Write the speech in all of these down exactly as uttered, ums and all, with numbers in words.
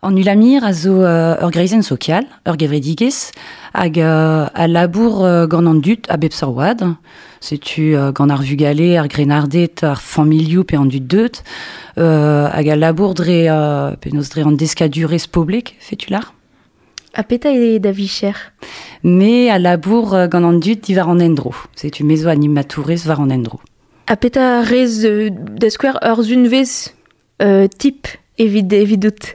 An Ulamir a zo uh, ur greizenn sokial, ur gevredigezh, hag uh, a labour uh, gant an dud a bep seurt oad. Setu uh, gant ar vugale, ar grennarded, ar familhoù pe an dud deut, uh, hag a labour dre, uh, penaos dre an deskadurezh poblek, fetu lar. Ha petra eo da vicher? Me a labour uh, gant an dud diwar an endro. Setu me zo animatourez war an endro. Ha petra rez uh, da skouer ur zunvezh uh, tip evit evidout?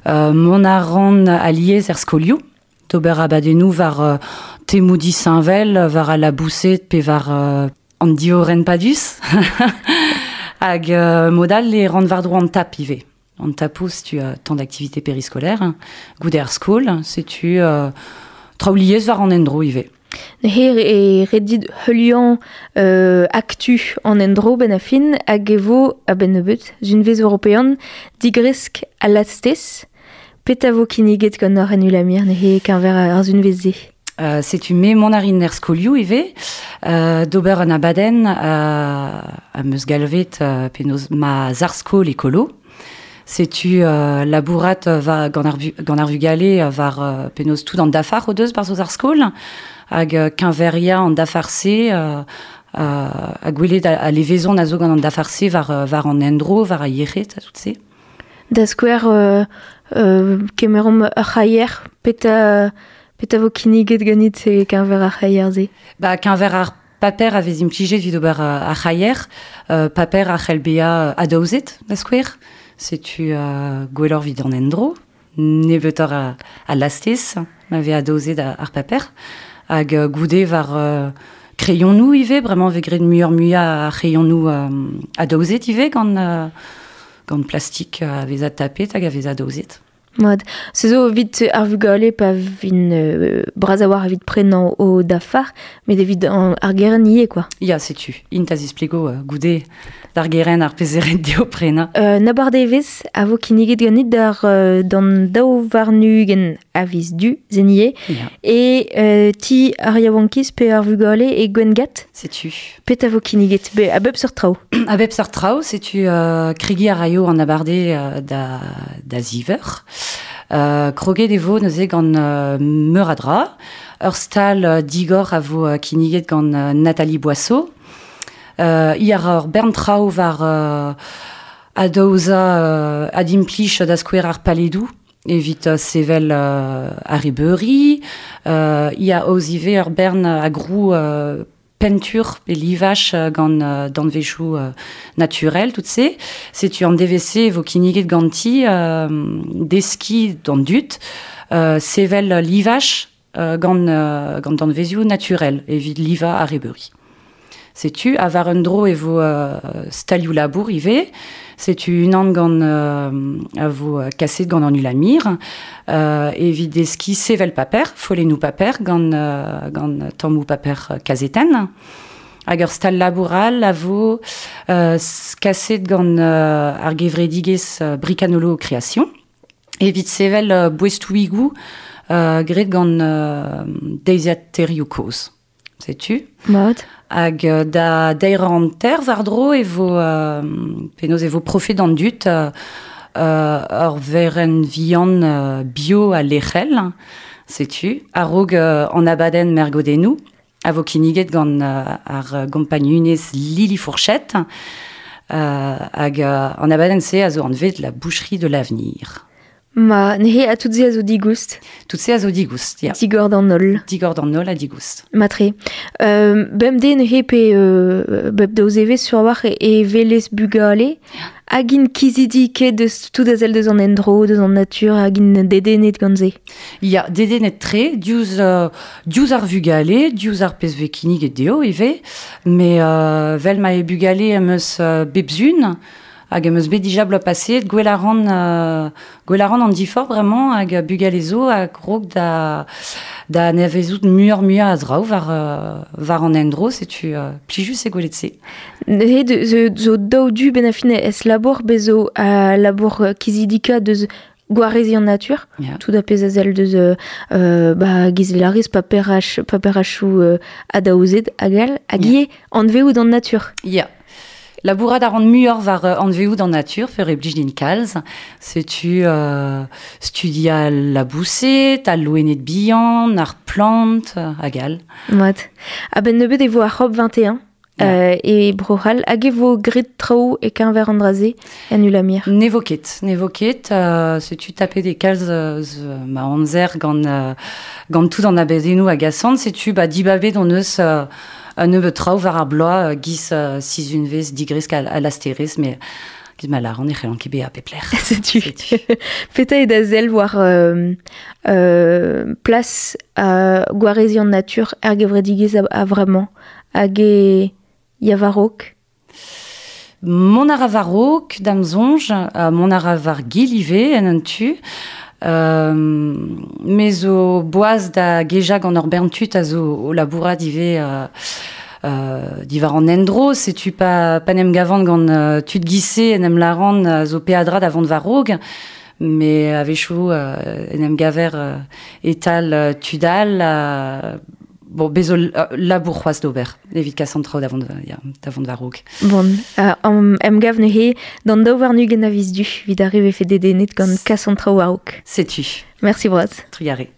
Euh, mont a ran aliez er skolioù, d'ober abadennoù war euh, temoù disheñvel, war al laboused pe war euh, an dioren padus. Hag euh, modal e ran war-dro an tap ivez. An tapoù, setu euh, tant d'activité périscolaire. Goude ar skol, setu euh, traoù liez war an endro ivez. Neuze e redit heuliañ euh, aktu an endro ben a fin hag e vo a-benn nebeut zunvezh european digresk a lastez. Petra vo kinniget gant ar en Ulamir neuze keñver ar zunvezh-se? Euh, setu me mont a rin er skolioù ivez, euh, d'ober an abadenn euh, am eus galvet euh, penaos ma zar-skol ekolo. Setu euh, labourat va gant ar, gant ar vugale war euh, penaos tout an dafar o deus barzh o zar-skol, hag euh, keñveria an dafar-se euh, euh, hag gwelet a, a levezon a zo gant an dafar-se war, war an endro, war a yec'hed, a tout se. Da skouer euh, euh, kemeromp ur c'haier, petra, petra vo kinniget ganit e keñver ar c'haier-se? Ba, keñver ar paper a vez implijet evit ober ar c'haier, euh, paper a c'hell bezañ adaozet, da skouer. Setu euh, gwelloc'h evit an endro, nebeutoc'h a, a lastez, ma vez adaozet ar paper. Hag euh, goude war euh, kreionoù ivez, bremañ vez graet muioc'h muiañ a c'hreionoù euh, adaozet ivez gant, euh, gant plastik a vez adtapet hag a vez adaozet. Mat. Se zo evit ar vugale pa vin euh, bras a-walc'h evit prenañ o dafar, met evit an, ar gerent ivez, quoi. Ya, setu. Int a zisplego euh, goude d'ar gerent ar pezh eo ret dezho prenañ. Euh, n'abardaevezh a vo kinniget ganit d'ar euh, d'an daou warn-ugent a viz du, zenier, Ya. e euh, ti ar yaouankiz pe ar vugale e Gwengat. Setu. Petra vo kinniget? Be, a bep seurt traoù. A bep seurt traoù, setu euh, kregiñ a raio an abardaez euh, da, da ziv eur. Euh, kroget e vo neuze gant euh, meur a dra. Ur stal euh, digor a vo euh, kinniget gant euh, Nathalie Boisseau. Euh, i a ra ur bern traoù war euh, adaozañ euh, adimplij da skouer ar paledoù evit euh, sevel euh, ar arrebeuri. Euh, i a aoz ivez ur bern a grou euh, pentur pe livaj gant euh, danvezioù euh, naturel, tout se. Setu an D V C vo kinniget ganti euh, deskiñ d'an dud, euh, sevel livaj euh, gant, euh, gant danvezioù naturel evit livañ ar arrebeuri. Setu, ha war un dro e vo euh, stalioù labour ivez, setu unan gant euh, a vo kaset gant an Ulamir, euh, evit deskiñ sevel paper, follennoù paper gant, euh, gant tammoù paper kazetenn. Hag ur stal labour all a vo euh, kaset gant euh, ar gevredigezh euh, Bricanolo Création, evit sevel euh, boestoùigoù euh, graet gant euh, deiziataerioù kozh. Setu. Mat. Hag euh, da deir hanter war-dro e vo euh, penaos e vo profet d'an dud euh, euh, ur verenn vihan euh, bio ha lec'hel, setu, a-raok euh, an abadenn mergodennoù, a vo kinniget gant euh, ar gompagnunez Lili Fourchette, euh, hag euh, an abadenn-se a zo anvet la boucherie de l'avenir. Ma, neuze ha tout se a zo digoust. Tout se a zo digoust, ya. Digor d'an holl. Digor d'an holl ha digoust. Matre. Euh, bemdez neuze pe euh, bep daou zevezh sur war e, e welez bugale. Hag int kizidik eo deus tout a sell deus an endro, deus an natur, hag int dedennet gant se. Ya, dedennet tre, diouzh, euh, diouzh ar vugale, diouzh ar pezh vez kinniget dezho ivez, met euh, vel ma eo bugale am eus euh, bep zun, hag am eus bet dija bloaz paseet, gwell a ran, euh, gwell a ran an diforc'h bremañ hag bugale zo a krog da, da anavezout muioc'h muiañ a draoù war, euh, war an endro, setu euh, plijus eo gwelet se. Neuze de, zo, zo daou du ben a fin ez labour bez zo a labour kizidika deus gwareziñ an natur, Ya. tout a pezh a sell deus euh, euh, ba, gizelarez paperach, paperachoù euh, adaozet hag all, hag Ya. ivez anveout an natur. Ya. Labourat a ran muioc'h war uh, anveoù d'an natur, fer e blij din kalz. Setu euh, studia laboused, al loened bihan, ar plant, hag all. Mat. A-benn nebeut e vo ar COP vingt et un. Euh, e Bro-C'hall, hag e vo grit traoù e keñver an dra-se en Ulamir? Ne vo ket, ne vo ket, euh, setu tapet e kalz euh, ma amzer gant, euh, gant tout an abedennoù hag asant, setu ba dibabet on eus euh, un nebeut traoù war ar bloaz, euh, giz euh, sizhunvezh digresk a, a lasterez, mais giz ma lar, on e c'hellan ket bezañ pep lec'h. Setu. Petra eo da sell war euh, euh, plas euh, gwareziñ an natur er gevredigezh a, a vremañ, hag e ya war-raok? Mont a ra war-raok, da'm soñj, uh, mont a ra war gil ivez en un tu. Euh, me zo boaz da gejañ gant ur bern tud a zo o labourat ivez euh, euh, diwar an endro, setu pa, pa n'em gavan gant euh, tud gise en em laran uh, zo peadra da vont war-raok, mais a-wechoù euh, en em gaver euh, e-tal euh, tud all, euh, bon, bezo labour c'hoazh d'ober, evit kas an traoù da vont, ya, da vont war-raok. Bon, euh, am, em gav neuze d'an daou warn-ugent a viz Du, evit ar re vefe dedennet gant kas an traoù war-raok. Setu. Merci bras. Trugarez.